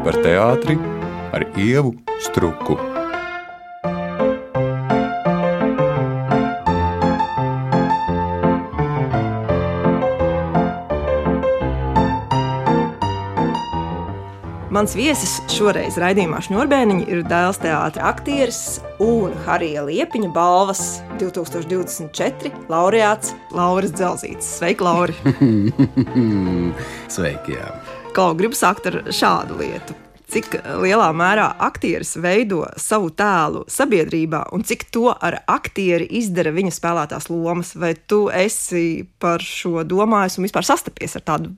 par teātri ar Ievu Struku. Mans viesis šoreiz raidījumā Šņurbēniņi ir Dēls teātra aktieris un Harija Liepiņa balvas 2024 laureāts Lauris Dzelzītis. Sveiki, Lauri! Sveiki, jā. Klau, gribu sākt ar šādu lietu. Cik lielā mērā aktieris veido savu tēlu sabiedrībā un cik to ar aktieri izdara viņa spēlētās lomas? Vai tu esi par šo domājis un vispār sastapies ar tādu,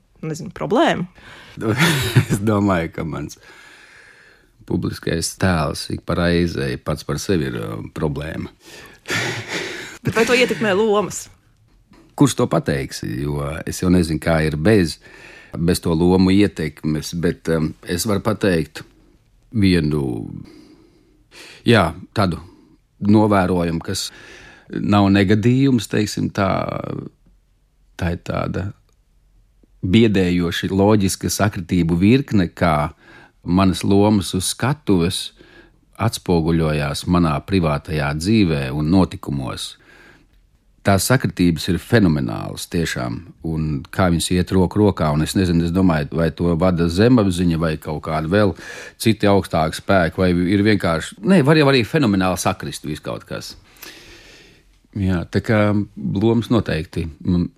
problēmu? Es domāju, ka mans publiskais tēls ik pa reizei pats par sevi ir problēma. Bet vai to ietekmē lomas? Kurš to pateiks? Jo es jau nezinu, kā ir bez to lomu ietekmes, bet es varu pateikt vienu, tādu novērojumu, kas nav negadījums, teiksim tā ir tāda biedējoši loģiska sakritību virkne, kā manas lomas uz skatuves atspoguļojās manā privātajā dzīvē un notikumos. Tās sakritības ir fenomenālas tiešām, un kā viņas iet roku rokā, un es nezinu, es domāju, vai to vada zemapziņa, vai kaut kāda vēl citi augstāki spēki, vai ir vienkārši, var jau arī fenomenāli sakrist viskaut kas. Jā, tā kā lomas noteikti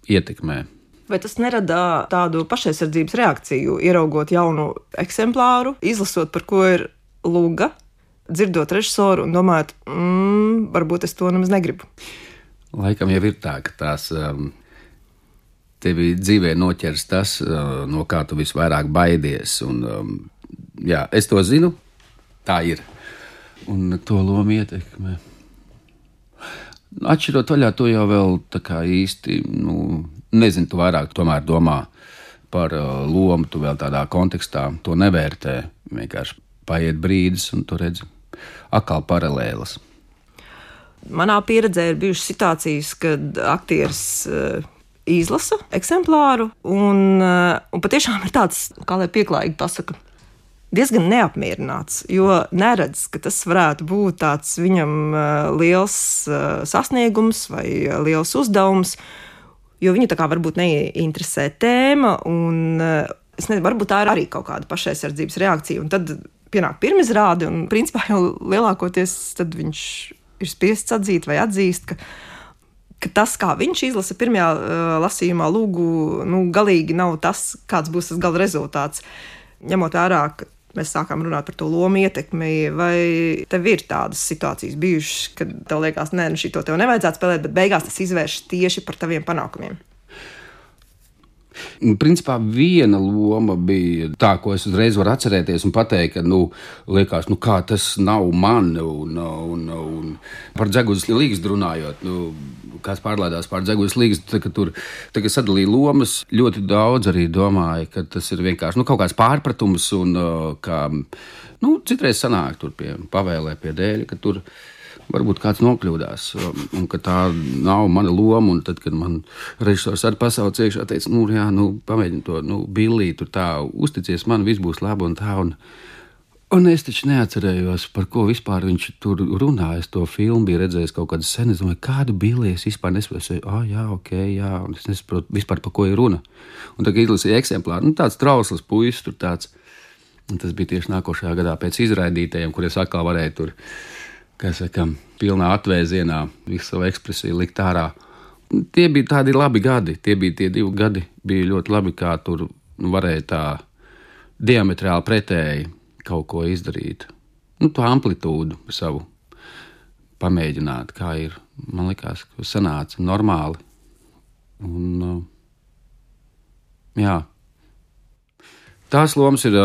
ietekmē. Vai tas nerada tādu pašaizsardzības reakciju, ieraugot jaunu eksemplāru, izlasot, par ko ir luga, dzirdot režisoru un domājot, varbūt es to nemaz negribu? Laikam jau ir tā, ka tās tevi dzīvē noķers tas, no kā tu visvairāk baidies. Un, es to zinu, tā ir. Un to lomu ietekmē. Atšķirot vaļā, to jau vēl tā kā īsti, nezinu, tu vairāk tomēr domā par lomu, tu vēl tādā kontekstā to nevērtē. Vienkārši paiet brīdis un tu redzi atkal paralēlas. Manā pieredzē ir bijušas situācijas, kad aktieris izlasa eksemplāru un patiešām ir tāds, kā lai pieklājīgi pasaka, diezgan neapmierināts, jo neredz, ka tas varētu būt tāds viņam liels sasniegums vai liels uzdevums, jo viņu tā kā varbūt neinteresē tēma, un es nezinu, varbūt tā ir arī kaut kāda pašaizsardzības reakcija, un tad pienāk pirmizrāde, un principā jau lielākoties tad viņš ir spiests atzīt vai atzīst, ka tas, kā viņš izlasa pirmajā lasījumā lūgu, galīgi nav tas, kāds būs tas gala rezultāts. Ņemot vērā, ka mēs sākām runāt par to lomu ietekmi, vai tev ir tādas situācijas bijušas, kad tev liekas, šito tev nevajadzētu spēlēt, bet beigās tas izvērš tieši par taviem panākumiem? Principā viena loma bija tā, ko es uzreiz varu atcerēties un pateikt, ka, liekas, kā tas nav man, un par Dzeguzes līgstu runājot, kāds pārlādās pār Dzeguzes līgstu, kad sadalīja lomas, ļoti daudz arī domāja, ka tas ir vienkārši, kaut kāds pārpratums, un kā, citreiz sanāk tur pavēlē pie dēļa, ka tur varbūt kāds nokļūdās, un ka tā nav mana loma, un tad, kad man režisors arī pasauc iekšā, teica, pamēģini to, Billī, tur tā, uzticies man, viss būs labi un tā, un es taču neatcerējos, par ko vispār viņš tur runāja, es to filmu biju redzējis kaut kādu sen, es domāju, kādu Billī es vispār nesaprotu, un es nesaprotu vispār, par ko ir runa, un tagad izlasīja eksemplāru, tāds trausls puisis tur tāds, un tas bija tieši nākošajā gadā pēc izraidītajiem, kur es atkal varēju tur, pilnā atvēzienā visu savu ekspresiju likt ārā. Tie bija tādi labi gadi, tie 2 gadi bija ļoti labi, kā tur varēja tā diametrāli pretēji kaut ko izdarīt. To amplitūdu savu pamēģināt, kā ir. Man likās, ka sanāca normāli. Un, tās lomas ir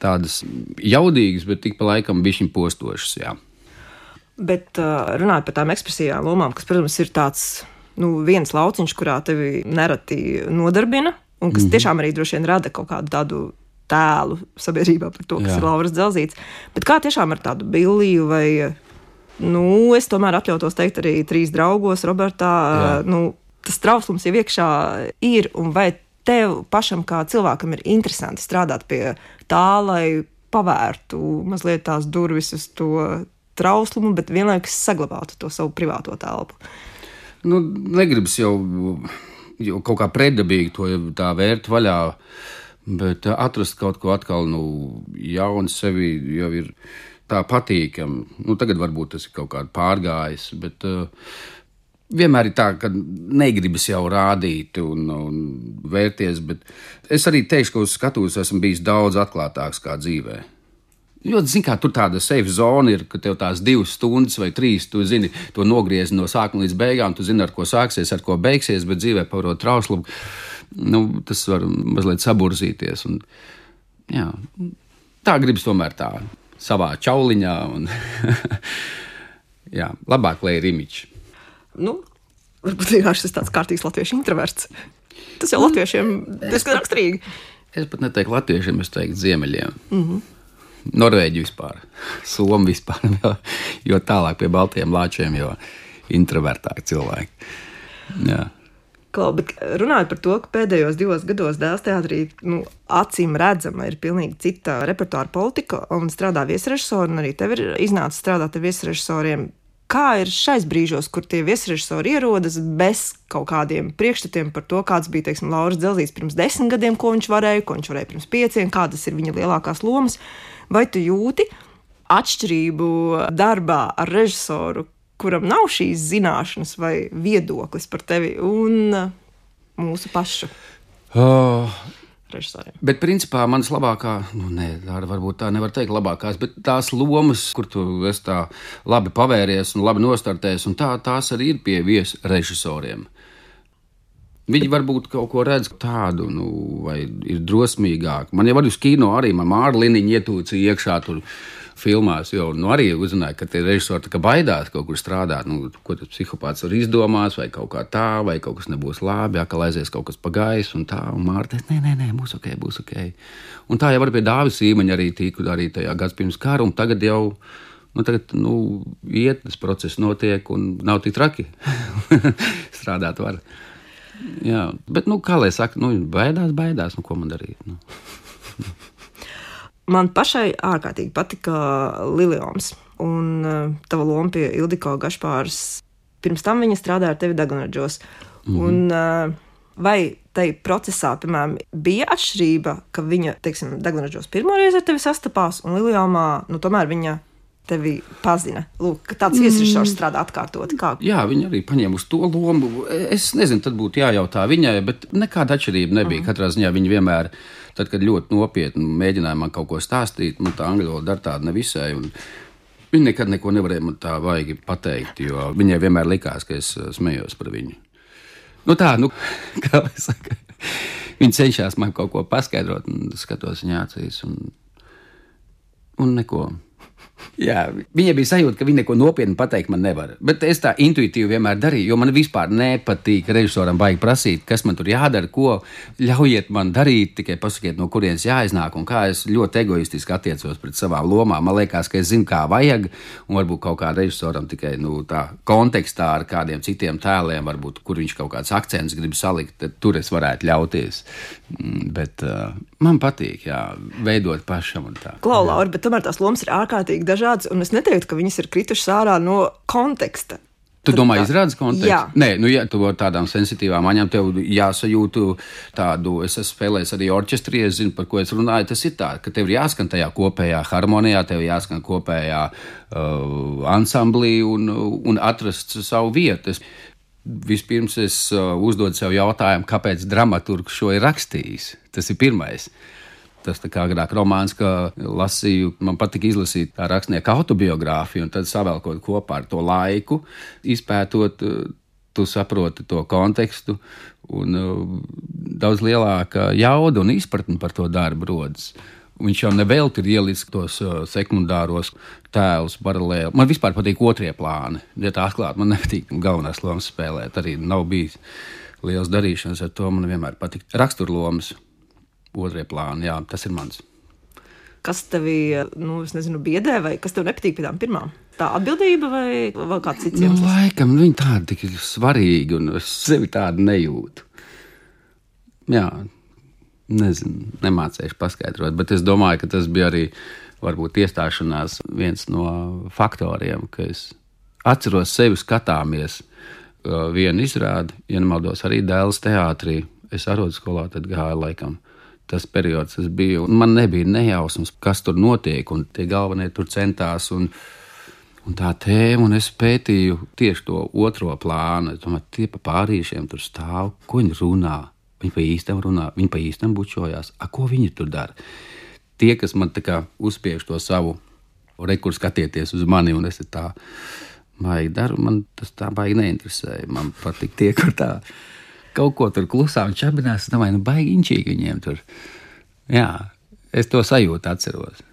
tādas jaudīgas, bet tik pa laikam bišķiņ postošas, jā. Bet runājot par tām ekspresijām lomām, kas, protams, ir tāds, viens lauciņš, kurā tevi nereti nodarbina, un kas tiešām arī droši vien rada kaut kādu tādu tēlu sabiedrībā par to, kas ir Lauris Dzelzītis. Bet kā tiešām ar tādu Billiju vai, es tomēr atļautos teikt arī 3 draugos, Robertā, tas trauslums jau iekšā ir, un vai tev pašam kā cilvēkam ir interesanti strādāt pie tā, lai pavērtu mazliet tās durvis uz to trauslumu, bet vienlaikus saglabātu to savu privāto telpu? Nu, negribas jau kaut kā pretdabīgi to tā vērt vaļā, bet atrast kaut ko atkal jaunu sevi jau ir tā patīkami. Tagad varbūt tas ir kaut kāds pārgājis, bet vienmēr ir tā, ka negribas jau rādīt un vērties, bet es arī teikšu, ka uz skatuves esmu bijis daudz atklātāks kā dzīvē. Jo, zini, kā tur tāda safe zona ir, ka tev tās 2 stundas vai 3, tu zini, to nogriezi no sākuma līdz beigām, tu zini, ar ko sāksies, ar ko beigsies, bet dzīvē pavarot trauslumu, tas var mazliet saburzīties. Un, jā, tā gribas tomēr tā savā čauliņā un jā, labāk, lai ir imiķi. Varbūt vienkārši tas tāds kārtīgs latviešu introverts. Tas jau latviešiem diezgan raksturīgi. Es pat neteiktu latviešiem, es teiktu ziemeļiem. Norvēģi vispār, Somi vispār, jo tālāk pie baltiem lāčiem, jo introvertāki cilvēki. Jā. Klau, bet runājot par to, ka pēdējos 2 gados Dēls teātrī acīm redzama ir pilnīgi cita repertuāra politika un strādā viesrežisori, un arī tev ir iznācis strādāt ar viesrežisoriem. Kā ir šais brīžos, kur tie viesrežisori ierodas bez kaut kādiem priekšstatiem par to, kāds bija, teiksim, Lauris Dzelzīts pirms 10 gadiem, ko viņš varēja pirms 5, kādas ir viņa lielākās lomas? Vai tu jūti atšķirību darbā ar režisoru, kuram nav šīs zināšanas vai viedoklis par tevi un mūsu pašu režisoriem? Bet principā manas labākā, varbūt tā nevar teikt labākās, bet tās lomas, kur tu esi tā labi pavēries un labi nostartēs, un tās arī ir pie viesrežisoriem. Viņi varbūt kaut ko redz tādu, vai ir drosmīgāki. Man jau arī uz kino arī Māra Liniņa ietūcīja iekšā tur filmās, jo arī uzzināja, ka tie režisori tā kā baidās kaut kur strādāt. Ko tas psihopāts var izdomās, vai kaut kā tā, vai kaut kas nebūs labi, ka aizies kaut kas pa gaisu un tā. Un Māra teica, nē, būs ok. Un tā jau var pie Dāvis Īmaņa arī tika arī tajā gads pirms kara, un tagad jau, iet, tas process notiek un nav tik traki. Strādāt var. Jā, bet, kā lai saka, baidās, ko man darīt? Man pašai ārkārtīgi patika Lilioms un tava loma pie Ildiko Gašpāras. Pirms tam viņa strādāja ar tevi Dagunraģos. Un vai tai procesā, piemēram, bija atšķirība, ka viņa, teiksim, Dagunraģos pirmoreiz ar tevi sastapās, un Liliomā, tomēr viņa tevi pazina. Lūk, ka tāds viesrežisors strādā atkārtoti. Kā? Jā, viņa arī paņēma uz to lomu. Es nezinu, tad būtu jājautā viņai, bet nekāda atšķirība nebija. Katrā ziņā viņa vienmēr, tad, kad ļoti nopietni mēģināja man kaut ko stāstīt, tā angļu valoda dar tāda nevisai, un viņa nekad neko nevarēja man tā vaigi pateikt, jo viņai vienmēr likās, ka es smējos par viņu. Kā lai saka, viņa cenšas man kaut ko paskaidrot, un skatos viņa acīs, un neko. Jā, viņai bija sajūta, ka viņa neko nopietni pateikt man nevar. Bet es tā intuitīvi vienmēr darīju, jo man vispār nepatīk režisoram baigi prasīt, kas man tur jādara, ko ļaujiet man darīt, tikai pasakiet, no kurienes jāiznāk un kā. Es ļoti egoistiski attiecos pret savām lomām. Man liekas, ka es zinu, kā vajag, un varbūt kaut kā režisoram tikai tā kontekstā ar kādiem citiem tēliem, varbūt, kur viņš kaut kāds akcents grib salikt, tad tur es varētu ļauties. Bet man patīk, veidot pašam un tā. Klau, Laura, bet tomēr tās lomas ir ārkārtīgi dažādas, un es neteiktu, ka viņas ir kritušas ārā no konteksta. Tu domā, izrādās kontekstu? Jā. Nē, ja tu ar tādām sensitīvām aņām, tev jāsajūtu tādu, es esmu spēlējis arī orķestrī, es zinu, par ko es runāju, tas ir tā, ka tev ir jāskan tajā kopējā harmonijā, tev ir jāskan kopējā ansamblī un atrast savu vietu. Vispirms es uzdodu sev jautājumu, kāpēc dramaturgs šo ir rakstījis. Tas ir pirmais. Tas tā kā agrāk romāns, ka lasīju, man patika izlasīt tā rakstnieka autobiogrāfiju, un tad savēlkot kopā ar to laiku, izpētot, tu saproti to kontekstu, un daudz lielāka jauda un izpratne par to darbu rodas. Viņš jau nevelti ir ielicis tos sekundāros tēlus paralēli. Man vispār patīk otrie plāni. Ja tā atklāt, man nepatīk galvenās lomas spēlēt. Arī nav bijis liels darīšanas ar to. Man vienmēr patīk raksturlomas. Otrie plāni, jā, tas ir mans. Kas tevi, es nezinu, biedē, vai kas tev nepatīk pie tām pirmām? Tā atbildība vai vēl kāds cits iemesls? Laikam, viņi tādi tik svarīgi, un es sevi tādu nejūtu. Jā, Nezinu, nemācējuši paskaidrot, bet es domāju, ka tas bija arī varbūt iestāšanās viens no faktoriem, ka es atceros sevi skatāmies vienu izrādi, ja nemaldos arī Dēles teātrī. Es arodskolā tad gāju laikam. Tas periods tas bija, un man nebija nejausmas, kas tur notiek, un tie galvenie tur centās, un tā tēma, un es pētīju tieši to otro plānu. Es domāju, tie pa pārīšiem tur stāv, ko viņi runā. Viņi pa īstam runā, viņi pa īstam bučojās. Ko viņi tur dara? Tie, kas man tā kā uzspiež to savu rekur skatieties uz mani, un es tā baigi daru, man tas tā baigi neinteresēja. Man patīk tie, kur tā kaut ko tur klusā un čabinās. Es domāju, baigi inčīgi viņiem tur. Jā, es to sajūtu atceros.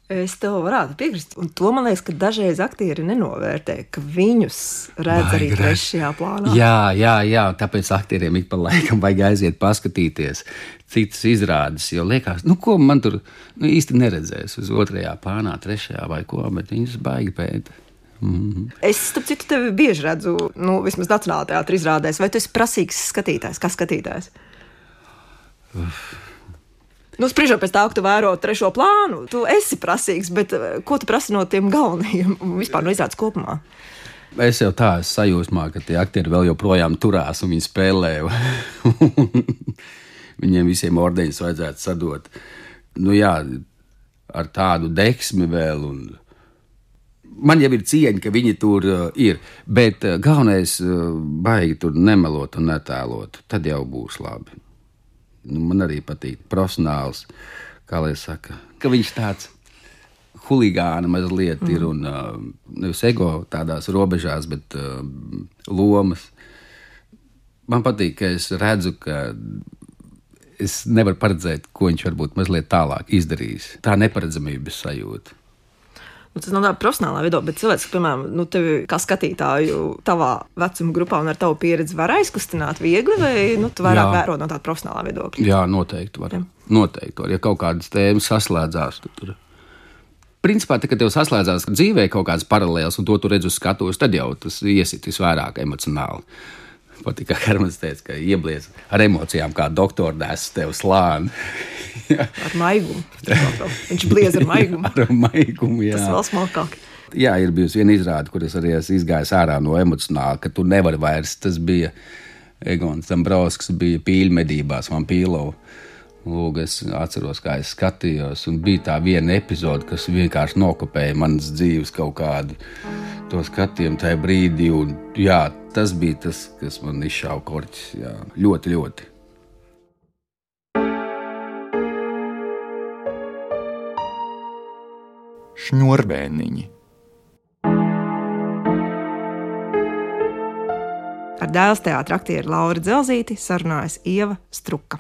Es tev varētu piekrist, un to man liekas, ka dažreiz aktieri nenovērtē, ka viņus redz arī trešajā plānā. Jā, tāpēc aktieriem ik pa laikam vajag aiziet paskatīties citas izrādes, jo liekas, ko man tur īsti neredzēs uz otrajā plānā, trešajā vai ko, bet viņus baigi pēta. Es, starp citu, tevi bieži redzu, vismaz Nacionālajā teātra izrādēs, vai tu esi prasīgs skatītājs, kā skatītājs? Spriežot pēc tā, ka tu vēro trešo plānu, tu esi prasīgs, bet ko tu prasi no tiem galvenajiem un vispār no izrādes kopumā? Es jau tā esmu sajūsmā, ka tie aktieri vēl joprojām turās un viņi spēlē. Viņiem visiem ordeņus vajadzētu sadot. Jā, ar tādu deksmi vēl. Man jau ir cieņa, ka viņi tur ir, bet galvenais baigi tur nemelot un netēlot. Tad jau būs labi. Man arī patīk profesionāls, kā lai saka, ka viņš tāds huligāna mazliet ir un nevis ego tādās robežās, bet lomas. Man patīk, ka es redzu, ka es nevaru paredzēt, ko viņš varbūt mazliet tālāk izdarīs. Tā neparedzamības sajūta. Tas nav tā profesionālā viedokļa, bet cilvēks, piemēram, tevi kā skatītāju tavā vecuma grupā un ar tavu pieredzi var aizkustināt viegli, vai tu vairāk vēro no tāda profesionālā viedokļa? Jā, noteikti var. Noteikti var. Ja kaut kādas tēmas saslēdzās, tur. Principā, kad tev saslēdzās dzīvē kaut kādas paralēlas un to tu redz uz skatuves, tad jau tas iesit visvairāk emocionāli. Patīk, kā Hermans teica, ka ieblies ar emocijām, kā doktori nes tev slāni. Ar maigumu. Viņš bliez ar maigumu. Ar maigumu, jā. Tas vēl smalkāk. Jā, ir bijusi viena izrāde, kur es arī esmu izgājis ārā no emocionāla, ka tu nevari vairs. Tas bija Egons Dombrovskis, bija pīļu medībās, man pīlovu. Lūk, es atceros, kā es skatījos, un bija tā viena epizode, kas vienkārši nokopēja manas dzīves kaut kādu to skatījumu tajā brīdī, un jā, tas bija tas, kas man izšāva korķis, jā, ļoti, ļoti. Šņurbēniņi. Ar Dēles teātra aktieru Lauru Dzelzīti sarunājas Ieva Struka.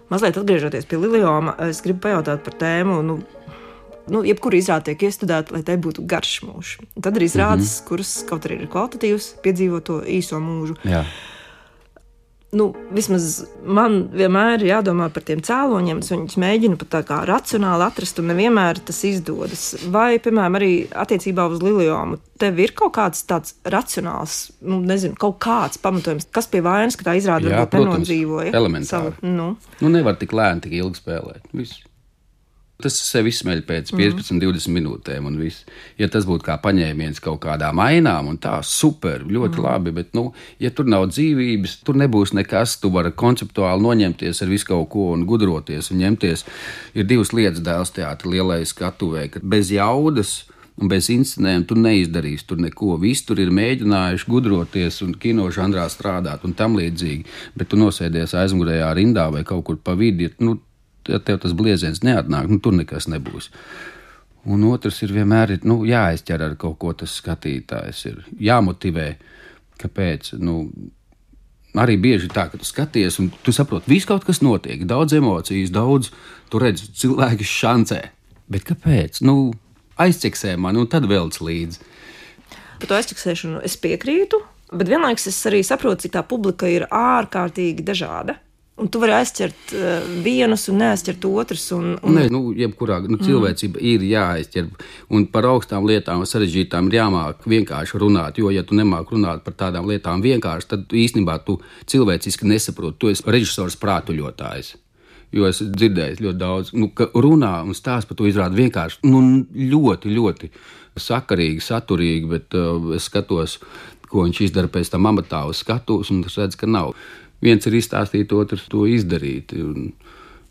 Mazliet atgriežoties pie Lilioma, es gribu pajautāt par tēmu, jebkura izrāde tiek iestudēta, lai tai būtu garš mūžs. Tad ir izrādes, kuras kaut arī ir kvalitatīvas, piedzīvo to īso mūžu. Jā. Vismaz man vienmēr ir jādomā par tiem cēloņiem, es viņus mēģinu pat tā kā racionāli atrast, un nevienmēr tas izdodas. Vai, piemēram, arī attiecībā uz Liliomu, tev ir kaut kāds tāds racionāls, kaut kāds pamatojums, kas pie vainas, ka tā izrāde varbūt nenodzīvoja? Elementāri. Nevar tik lēni, tik ilgi spēlēt. Viss. Tas sevi izsmeļ pēc 15-20 minūtēm un viss. Ja tas būtu kā paņēmiens kaut kādām ainām un tā, super, ļoti labi, bet, ja tur nav dzīvības, tur nebūs nekas, tu vari konceptuāli noņemties ar visu kaut ko un gudroties un ņemties. Ir divas lietas Dēles teātra lielais skatuvē, ka bez jaudas un bez inscenēm tu neizdarīsi tur neko. Visi tur ir mēģinājuši gudroties un kino žanrā strādāt un tam līdzīgi, bet tu nosēdies aizmugurējā rindā vai kaut kur pa vidi, ja tev tas blieziens neatnāk, tur nekas nebūs. Un otrs ir vienmēr jāizķer ar kaut ko tas skatītājs. Ir jāmotivē, kāpēc. Arī bieži tā, ka tu skaties un tu saproti, viss kaut kas notiek, daudz emocijas, daudz, tu redzi cilvēki šancē. Bet kāpēc? Aizķeksē mani un tad velc līdzi. Par to aizķeksēšanu es piekrītu, bet vienlaikus es arī saprotu, cik tā publika ir ārkārtīgi dažāda. Un tu vari aizķert vienus un neaizķert otrus. Nē, jebkurā cilvēcība ir jāaizķer. Un par augstām lietām, sarežģītām ir jāmāk vienkārši runāt. Jo, ja tu nemāk runāt par tādām lietām vienkārši, tad īstenībā tu cilvēciski nesaproti. Tu esi režisors prātuļotājs. Jo es dzirdēju ļoti daudz, ka runā un stāsta par to izrādi vienkārši ļoti, ļoti sakarīgi, saturīgi, bet es skatos, ko viņš izdara pēc tam amatā uz skatuves, un es redzu, ka nav. Viens ir izstāstīt, otrs to izdarīt. Un,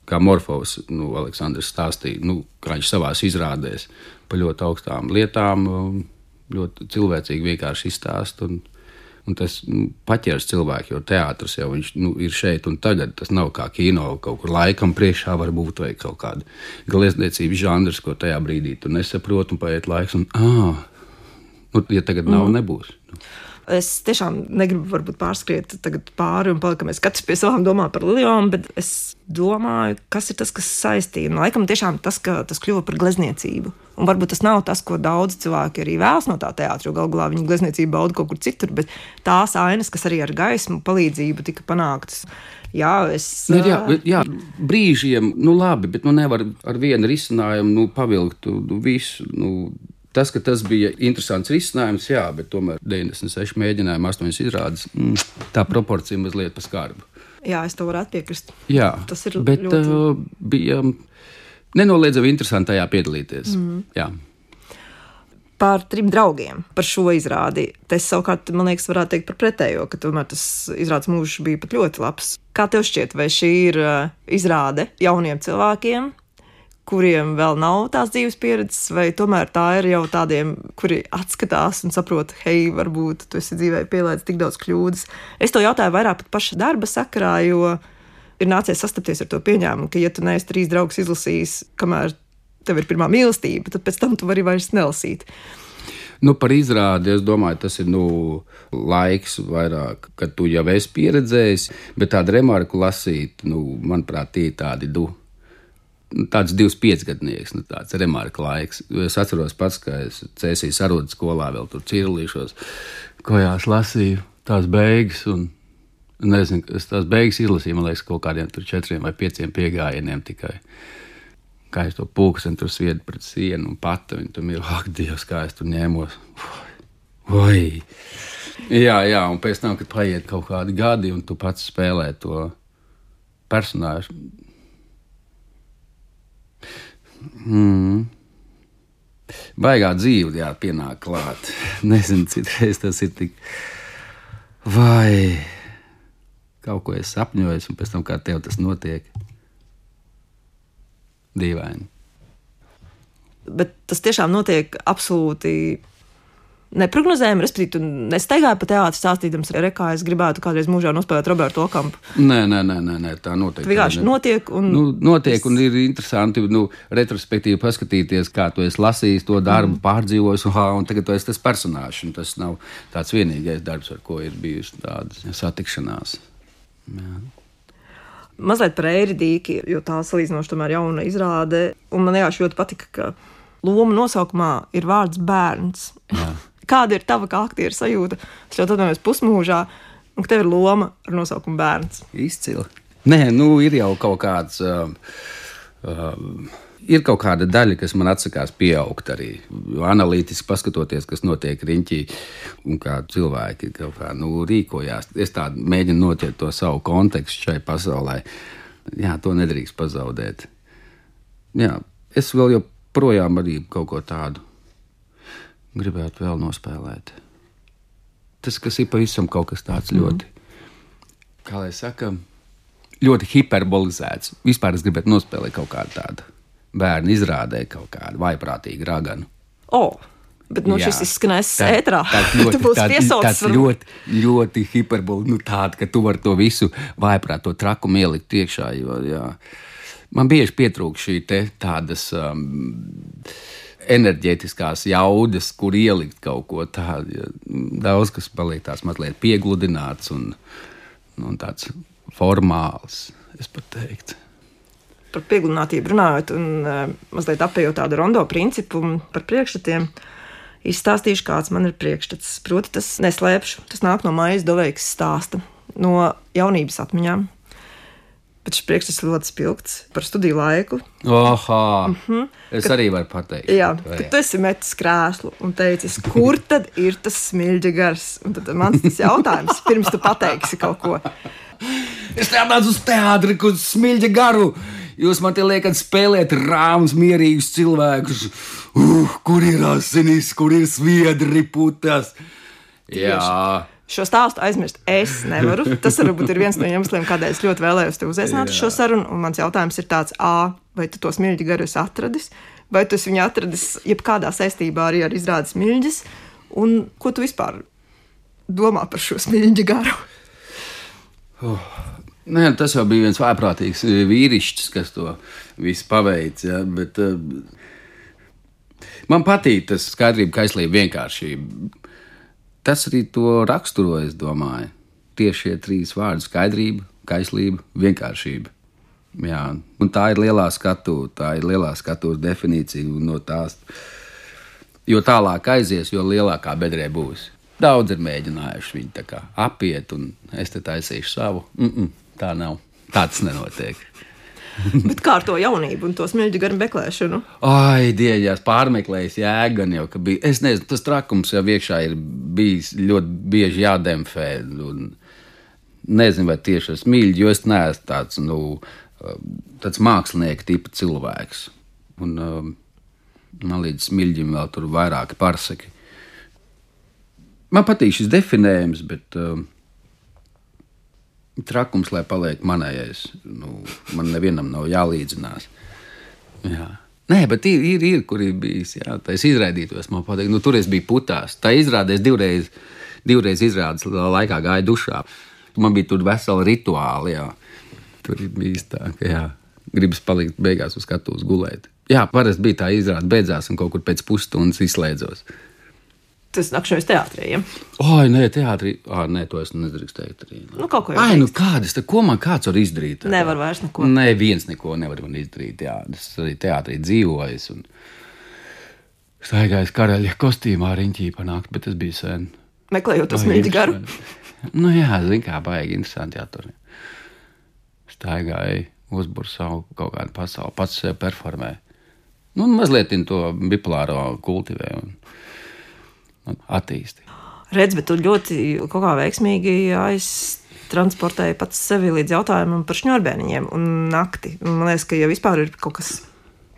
kā Morfovs, Aleksandrs stāstīja, kā viņš savās izrādēs par ļoti augstām lietām, ļoti cilvēcīgi vienkārši izstāst. Un tas paķers cilvēku, jo teātris jau viņš, ir šeit un tagad. Tas nav kā kino, kaut kur laikam priekšā var būt vai kaut kāda glezniecības žanrs, ko tajā brīdī tu nesaproti un paiet laiks. Ja tagad nav, nebūs. Es tiešām negribu varbūt pārskriet pāri un palikt, ka mēs katrs pie savām domām par lilijām, bet es domāju, kas ir tas, kas saistīja. Laikam tiešām tas, ka tas kļuva par glezniecību. Un varbūt tas nav tas, ko daudz cilvēki arī vēlas no tā teātra, jo galu galā viņi glezniecību bauda kaut kur citur, bet tās ainas, kas arī ar gaismu palīdzību tika panāktas. Jā, brīžiem, labi, bet nevar ar vienu risinājumu pavilkt visu. Tas, ka tas bija interesants risinājums, jā, bet tomēr 96 mēģinājumi, 8 izrādes, tā proporcija mazliet pa skarbu. Jā, es to varētu piekrist. Jā, tas ir bet ļoti... bija nenoliedzami interesanti tajā piedalīties. Jā. Par 3 draugiem, par šo izrādi. Tas savukārt, man liekas, varētu teikt par pretējo, ka tomēr tas izrādes mūžs bija pat ļoti labs. Kā tev šķiet, vai šī ir izrāde jauniem cilvēkiem, kuriem vēl nav tās dzīves pieredzes, vai tomēr tā ir jau tādiem, kuri atskatās un saprot, hei, varbūt tu esi dzīvē pielaidis tik daudz kļūdas. Es to jautāju vairāk pat paša darba sakarā, jo ir nācies sastapties ar to pieņēmumu, ka ja tu neesi 3 draugus izlasījis, kamēr tev ir pirmā mīlestība, tad pēc tam tu vari vairs nelasīt. Par izrādi, es domāju, tas ir laiks vairāk, kad tu jau esi pieredzējis, bet tādu remarku lasīt, manuprāt, tie tādi tāds 25 gadnieks, tāds remarka laiks. Es atceros pats, ka es Cēsīs arodu skolā vēl tur cirlīšos, kojās lasīju tās beigas, un nezinu, es tās beigas izlasīju, man liekas, kaut kādiem tur 4 vai 5 piegājieniem tikai. Kā es to pulksteni tur sviedu pret sienu un pata, un tur ak, Dievs, kā es tur ņēmos. Vai! Jā, un pēc tam, kad paiet kaut kādi gadi, un tu pats spēlē to personāžu, baigā dzīve, pienāk klāt. Nezinu, citreiz tas ir tik vai kaut ko es sapņojos, un pēc tam kā tev tas notiek. Dīvaini. Bet tas tiešām notiek absolūti neprognozējami, respektīvi, tu nestaigāji pa teātri stāstīdams, kā es gribētu kādreiz mūžā nospēlēt Robertu Okampu. Nē, tā notiek. Vienkārši notiek un... Notiek un ir interesanti, retrospektīvi paskatīties, kā tu esi lasījis to darbu, pārdzīvojis, un tagad tu esi tas personāžs, un tas nav tāds vienīgais darbs, ar ko ir bijusi tādas satikšanās. Jā. Mazliet par Eiridīki, jo tā salīdzinoši tomēr jauna izrāde, un man vienkārši ļoti patika, ka loma nosaukumā ir vārds bērns. Jā. Kāda ir tava kā aktiera sajūta? Es ļoti atvainojos pusmūžā, un ka tev ir loma ar nosaukumu bērns. Izcili. Nē, ir jau kaut kāds, ir kaut kāda daļa, kas man atsakās pieaugt arī. Analītiski paskatoties, kas notiek riņķī, un kā cilvēki kaut kā, rīkojās. Es tā mēģinu notiet to savu kontekstu šai pasaulē. Jā, to nedrīkst pazaudēt. Jā, es vēl joprojām arī kaut ko tādu gribētu vēl nospēlēt. Tas, kas ir pavisam kaut kas tāds ļoti, kā lai saka, ļoti hiperbolizēts. Vispār es gribētu nospēlēt kaut kādu tādu bērnu izrādē, kaut kādu vaiprātīgu raganu. Bet šis izskanēs ētrā. Tu būsi piesaucis. Ļoti hiperboli, tāda, ka tu vari to visu vaiprāt, to trakumu ielikt iekšā, jo, jā. Man bieži pietrūk šī tādas enerģētiskās jaudas, kur ielikt kaut ko tādu. Daudz, kas paliek tās mazliet piegludināts un tāds formāls, es pat teiktu. Par piegludinātību runājot un mazliet apējot tādu rondo principu par priekšstatiem, izstāstīšu, kāds man ir priekšstats. Proti, tas neslēpšu, tas nāk no Maijas Doveikas stāsta, no jaunības atmiņām. Bet šis priekšstats ļoti spilgts par studiju laiku. Es arī varu pateikt. Jā, kad tu esi metis krēslu un teicis, kur tad ir tas smilģa gars? Un tad mans tas jautājums, pirms tu pateiksi kaut ko. Es nācu uz teātri, kur smilģa garu. Jūs man te liekat spēlēt rāmus, mierīgus cilvēkus. Kur ir asinis, kur ir sviedri putas? Jā. Šo stāstu aizmirst es nevaru. Tas varbūt ir viens no iemesliem, kādēļ es ļoti vēlējos te uzaicināt šo sarunu. Un mans jautājums ir tāds, vai tu to smilģu garu esi atradis? Vai tu esi viņu atradis jebkādā saistībā arī ar izrādes smilģis? Un ko tu vispār domā par šo smilģu garu? Nē, tas jau bija viens vājprātīgs vīrišķis, kas to visu paveic. Ja? Bet, man patīk tas skaidrība, kaislība, vienkāršība. Tas arī to raksturo, es domāju. Tieši šie 3 vārdi - skaidrība, kaislība, vienkāršība. Jā, un tā ir lielā skatuves definīcija no tās. Jo tālāk aizies, jo lielākā bedrē būs. Daudz ir mēģinājuši viņu tā kā apiet, un es te taisīšu savu. Tā nav. Tā tas nenotiek. Bet kā ar to jaunību un to smilģu garu meklēšanu? Ai, dieģās, pārmeklējis jēgan jau, ka bija. Es nezinu, tas trakums jau iekšā ir bijis ļoti bieži jādemfē. Nezinu, vai tieši ar smilģi, jo es neesmu tāds mākslinieka tipa cilvēks. Un man līdz smilģim vēl tur vairāki parsaki. Man patīk šis definējums, bet trakums, lai paliek manējais. Man nevienam nav jālīdzinās. Jā. Nē, bet ir kur ir bijis. Jā, tā es izraidītos, man patīk. Tur es biju putās. Tā izrādēs divreiz izrādes laikā gāja dušā. Man bija tur vesela rituāli, jā. Tur ir bijis tā, ka jā, gribas palikt beigās uz skatuves gulēt. Jā, parasti bija tā izrāde beidzās un kaut kur pēc pusstundas izslēdzos. Tas nakšņojas teātrī, ja? Oi, nē, teātrī. Nē, to es nedrīkst teikt arī. Kaut ko jau kādas, ko man kāds var izdarīt? Nevar vairs neko. Nē, viens neko nevar man izdarīt, jā. Es arī teātrī dzīvojis un staigājis karaļa kostīmā riņķī panākt, bet tas bija sen. Meklējot to smilģu garu? Jā, zin kā, baigi interesanti jātur. Staigāju, uzburu savu kaut kādu pasauli, pats sev performē. Mazliet to bipolāro kultivē un attīsti. Redz, bet tu ļoti kaut kā veiksmīgi aiztransportēji pats sevi līdz jautājumam par šņurbēniņiem un nakti. Man liekas, ka jau vispār ir kaut kas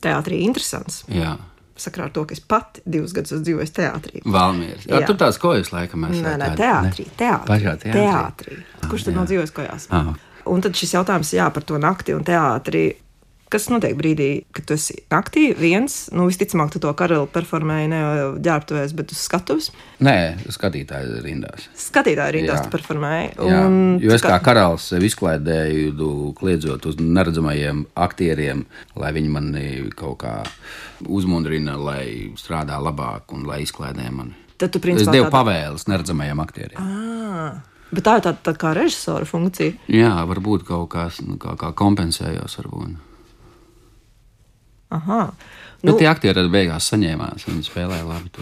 teātrī interesants. Jā. Sakrā ar to, ka es pati 2 gadus dzīvoju teātrī. Valmieras. Jā, tur tās kojas laikam esat. Nē, teātrī. Pašā teātrī. Kurš tad nav dzīvojis kojās? Un tad šis jautājums, par to nakti un teātrī. Kas notiek brīdī, kad tu esi naktī viens? Visticamāk, tu to karalu performēji ne jau ģērbtuvēs, bet uz skatuves? Nē, skatītāju rindās. Skatītāju rindās tu performēji. Jo es kā karalis sev izklaidēju, kliedzot uz neredzamajiem aktieriem, lai viņi mani kaut kā uzmundrina, lai strādā labāk un lai izklaidē mani. Tad tu principā es devu pavēles neredzamajiem aktieriem. Bet tā ir tāda kā režisora funkcija? Jā, varbūt kaut kā kompensējos varbūt. Bet tie aktieri arī beigās saņēmās, viņi spēlēja labi to.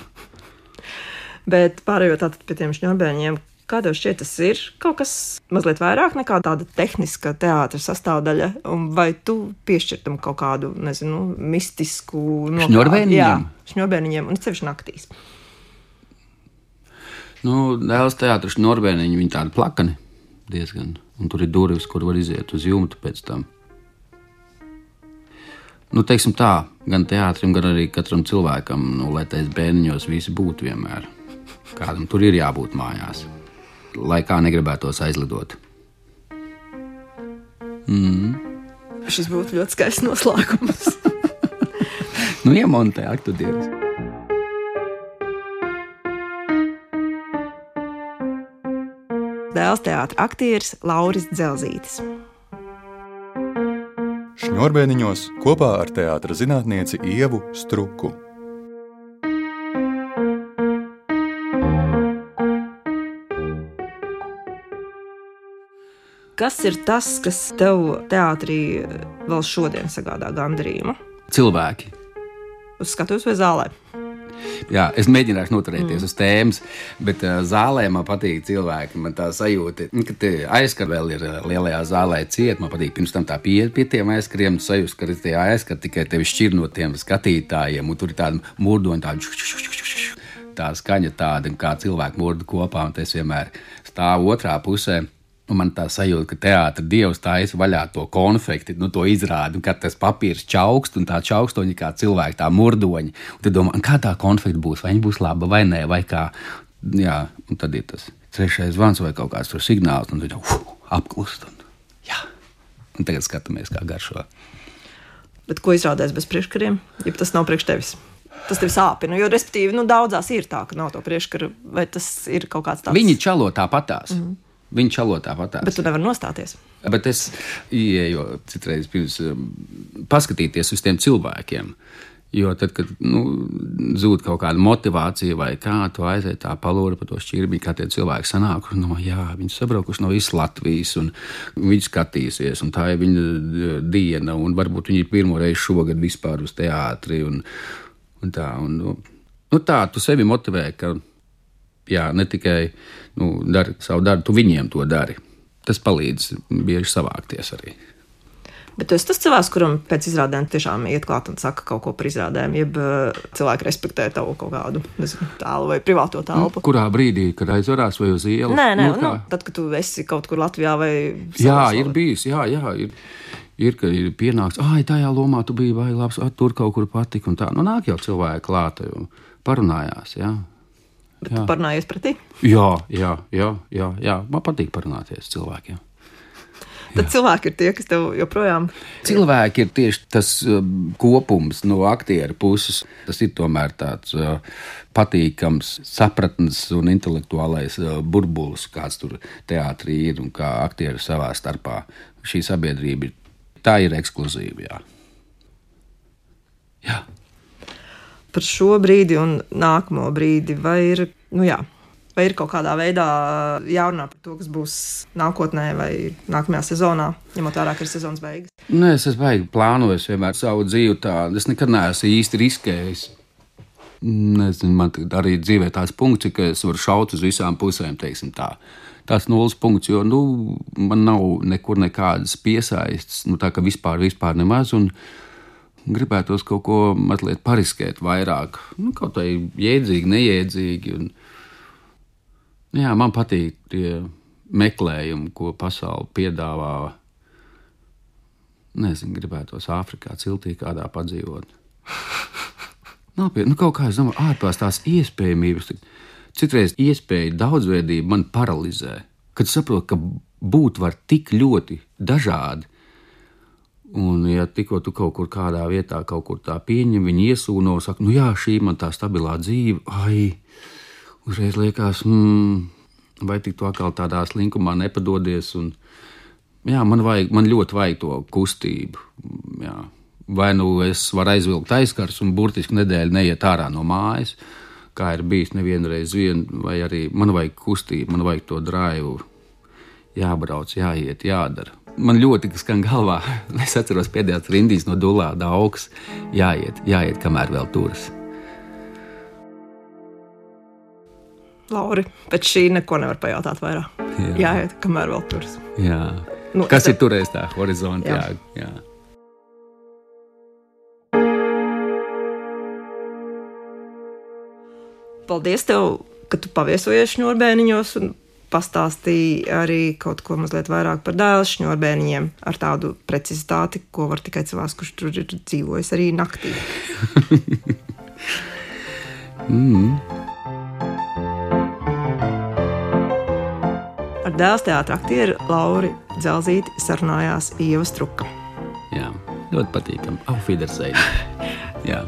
Bet pārējot tātad pie tiem šņurbēņiem, kā tev šķiet, tas ir kaut kas mazliet vairāk nekā tāda tehniska teātra sastāvdaļa, un vai tu piešķirtam kaut kādu, nezinu, mistisku šņurbēniņiem? Jā, šņurbēniņiem, un sevišķi naktīs. Dēls teātra šņurbēniņi, viņi tādi plakani diezgan, un tur ir durvis, kur var iziet uz jumtu pēc tam. Teiksim tā, gan teātrim, gan arī katram cilvēkam, lai tais bērniņos visi būtu vienmēr. Kādam tur ir jābūt mājās, lai kā negribētos aizlidot. Šis būtu ļoti skaists noslēgums. Iemontē aktudienas. Dēls teātra aktieris Lauris Dzelzītis. Šņurbēniņos kopā ar teātra zinātnieci Ievu Struku. Kas ir tas, kas tev teātrī vēl šodien sagādā gandarījumu? Cilvēki. Uz skatuves vai zālē? Jā, es mēģināšu noturēties uz tēmas, bet zālē man patīk cilvēki. Man tā sajūta, ka tie aizkari vēl ir lielajā zālē ciet. Man patīk pirms tam tā pie tiem aizkariem, sajūst, ka tie aizkari tikai tevi šķir no tiem skatītājiem, un tur ir tāda murdoņa, tā skaņa tāda, kā cilvēki murda kopā, un es vienmēr stāvu otrā pusē. Un man tā sajūta, ka teātra dievs taisa vaļā to konfekti, to izrādi, un kad tas papīrs čaukst, un tā čaukstoņi kā cilvēki, tā murdoņi. Un tad domā, kā tā konfekti būs, vai viņa būs laba vai nē, vai kā. Jā, un tad ir tas trešais zvans vai kaut kāds tur signāls, un tad apklust. Un tagad skatāmies, kā garšo. Bet ko izrādēs bez priekškariem, ja tas nav priekš tevis? Tas tevi sāpina, jo, respektīvi, daudzās ir tā, ka nav to priekškaru, vai tas ir kaut kāds tāds... Viņi čalo tāpatās. Viņi čalo tāpatās. Bet tu nevar nostāties. Bet es ieeju citreiz pirms paskatīties uz tiem cilvēkiem. Jo tad, kad zūd kaut kāda motivācija vai kā, tu aiziet tā palūri pa to šķirbi, kā tie cilvēki sanāk, viņi sabraukuši no visas Latvijas, un viņi skatīsies, un tā ir viņa diena, un varbūt viņi ir pirmo reizi šogad vispār uz teātri, un tā. Tā, tu sevi motivē, ka jā, ne tikai dari savu darbu, tu viņiem to dari. Tas palīdz bieži savākties arī. Bet tu esi tas cilvēks, kuram pēc izrādēm tiešām iet klāt un saka kaut ko par izrādēm, jeb cilvēki respektē tavu kaut kādu tēlu vai privāto telpu? Kurā brīdī, kad aizvarās vai uz ielas? Nē, tad, kad tu esi kaut kur Latvijā vai... Jā, ir bijis, jā. Ir, ka ir pienāks, tajā lomā tu biji vai labs, tur kaut kur patika un tā. Nāk jau cilvēki klāta, jo parunājās, jā. Bet tu parunājies pretī? Jā. Man patīk parunāties cilvēkiem. Tad cilvēki ir tie, kas tev joprojām... Cilvēki ir tieši tas kopums no aktieru puses. Tas ir tomēr tāds patīkams sapratnes un intelektuālais burbulis, kāds tur teātrī ir un kā aktieri savā starpā. Šī sabiedrība tā ir ekskluzīva, jā. Par šo brīdi un nākamo brīdi, vai ir kaut kādā veidā jārunā par to, kas būs nākotnē vai nākamajā sezonā, ņemot vērā, ka ir sezonas beigas? Nē, es baigi plānoju vienmēr savu dzīvi tā. Es nekad neesmu īsti riskējis. Nezinu, man arī dzīvē tāds punkts, ka es varu šaut uz visām pusēm, teiksim tā. Tas nulles punkts, jo man nav nekur nekādas piesaistes, tā ka vispār nemaz, un gribētos kaut ko mazliet pariskēt vairāk. Kaut tā jēdzīgi, neiedzīgi. Jā, man patīk tie meklējumi, ko pasaule piedāvā. Nezinu, gribētos Āfrikā ciltī kādā padzīvot. Nopietni, kaut kā es domāju, ārpās tās iespējamības. Citreiz iespēja daudzveidība man paralizē. Kad saprotu, ka būt var tik ļoti dažādi. Un, ja tikko tu kaut kur kādā vietā kaut kur tā pieņem, viņi iesūno, saka, jā, šī man tā stabilā dzīve, uzreiz liekas, vai tik tu atkal tādā slinkumā nepadodies, un, jā, man ļoti vajag to kustību, jā. Vai es varu aizvilkt aizkars un burtiski nedēļu neiet ārā no mājas, kā ir bijis nevienreiz vai arī man vajag kustību, man vajag to draivu, jābrauc, jāiet, jādara. Man ļoti skan galvā, es atceros pēdējās rindīs no Dulāda augs, jāiet, kamēr vēl turas. Lauri, pēc šī neko nevar pajautāt vairāk. Jāiet, kamēr vēl turas. Jā. Kas ir turējis tā horizonti? Jā. Paldies tev, ka tu paviesojies Šņurbēniņos un pastāstīji arī kaut ko mazliet vairāk par Dailes Šņurbēniņiem ar tādu precizitāti, ko var tikai cilvēks, kurš tur ir dzīvojis arī naktī. Ar Dailes teātra aktieru Lauri Dzelzīti sarunājās Ieva Struka. Jā, ļoti patīkami. Auf Wiedersehen. Jā.